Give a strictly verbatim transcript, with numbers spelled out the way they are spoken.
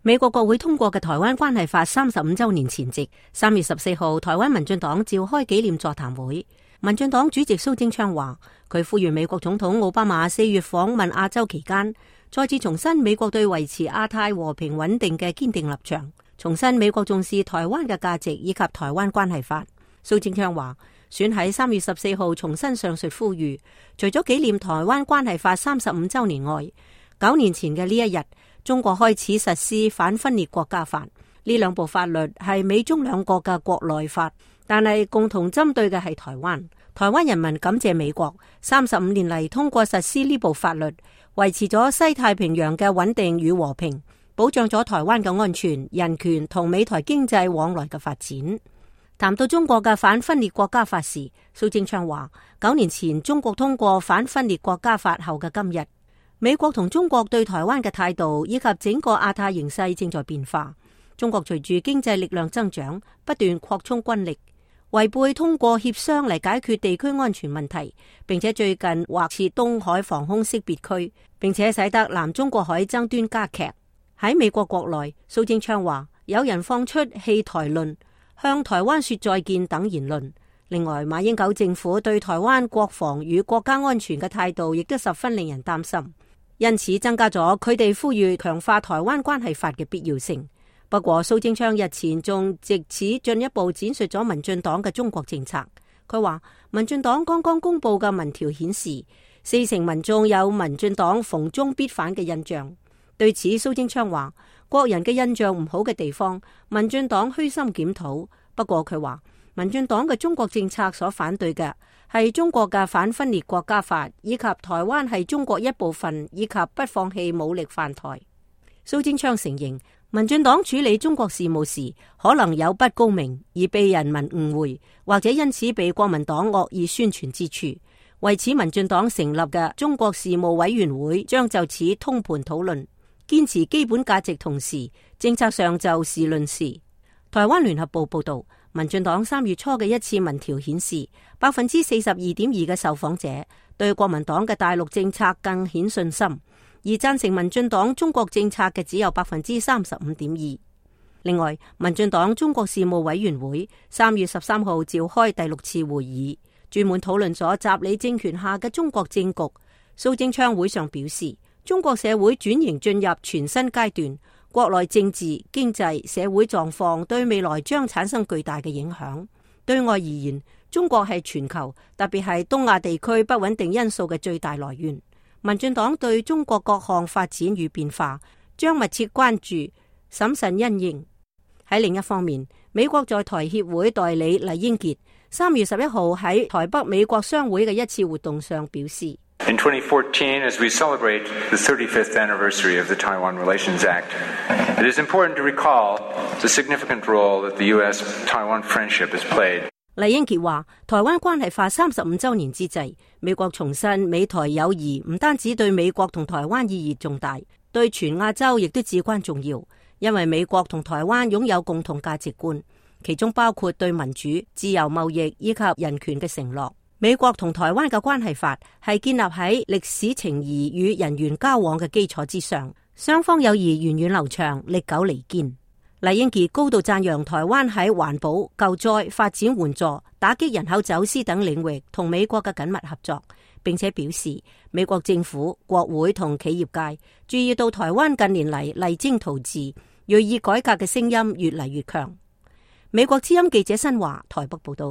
美國國會通過嘅台灣關係法三十五週年前夕，三月十四號，台灣民進黨召開紀念座談會。民進黨主席蘇貞昌話，佢呼籲美國總統奧巴馬四月訪問亞洲期間，再次重申美國對維持亞太和平穩定嘅堅定立場，重申美國重視台灣嘅價值以及台灣關係法。蘇貞昌話，選喺三月十四號重申上述呼籲，除咗紀念台灣關係法三十五週年外，九年前嘅呢一日，中國開始實施反分裂國家法。呢兩部法律係美中兩國嘅國內法，但係共同針對嘅係台灣。台灣人民感謝美國三十五年嚟通過實施呢部法律，維持咗西太平洋嘅穩定與和平，保障咗台灣嘅安全、人權同美台經濟往來嘅發展。談到中國嘅反分裂國家法時，蘇貞昌話：九年前中國通過反分裂國家法後嘅今日，美國同中國對台灣嘅態度以及整個亞太形勢正在變化。中國隨住經濟力量增長，不斷擴充軍力，違背通過協商嚟解決地區安全問題，並且最近劃設東海防空識別區，並且使得南中國海爭端加劇。喺美國國內，蘇貞昌話有人放出棄台論、向台灣說再見等言論。另外，馬英九政府對台灣國防與國家安全嘅態度亦都十分令人擔心，因此增加咗佢哋呼籲強化台灣關係法嘅必要性。不過，蘇貞昌日前仲藉此進一步闡述咗民進黨嘅中國政策。佢話，民進黨剛剛公布嘅民調顯示，四成民眾有民進黨逢中必反嘅印象。對此，蘇貞昌話，國人嘅印象唔好嘅地方，民進黨虛心檢討。不過佢話，民進黨嘅中國政策所反對嘅係中國嘅反分裂國家法，以及台灣係中國一部分，以及不放棄武力犯台。蘇貞昌承認，民進黨處理中國事務時可能有不高明而被人民誤會，或者因此被國民黨惡意宣傳之處。為此，民進黨成立嘅中國事務委員會將就此通盤討論，堅持基本價值同時，政策上就事論事。台灣聯合報報道，民進黨三月初嘅一次民調顯示，百分之四十二點二嘅受訪者對國民黨嘅大陸政策更顯信心。而贊成民進黨中國政策嘅只有百分之三十五點二。另外，民進黨中國事務委員會三月十三號召開第六次會議，專門討論咗習李政權下嘅中國政局。蘇貞昌會上表示，中國社會轉型進入全新階段，國內政治、經濟、社會狀況對未來將產生巨大嘅影響。對外而言，中國係全球，特別係東亞地區不穩定因素嘅最大來源。民進黨對中國各項發展與變化將密切關注，審慎因應。喺另一方面，美國在台協會代理酈英傑三月十一號喺台北美國商會嘅一次活動上表示：In twenty fourteen, as we celebrate the thirty-fifth anniversary of the Taiwan Relations Act, it is important to recall the significant role that the U S-Taiwan friendship has played. 酈英傑話，台灣關係法三十五週年之際，美國重申美台友誼唔單止對美國同台灣意義重大，對全亞洲亦都至關重要，因為美國同台灣擁有共同價值觀，其中包括對民主、自由貿易以及人權嘅承諾。美國同台灣嘅關係法係建立喺歷史情誼與人員交往嘅基礎之上，雙方友誼源遠流長、歷久彌堅。酈英傑高度讚揚台灣喺環保、救災、發展援助、打擊人口走私等領域同美國嘅緊密合作，並且表示美國政府、國會同企業界注意到台灣近年嚟勵精圖治、銳意改革嘅聲音越嚟越強。美國之音記者新華台北報道。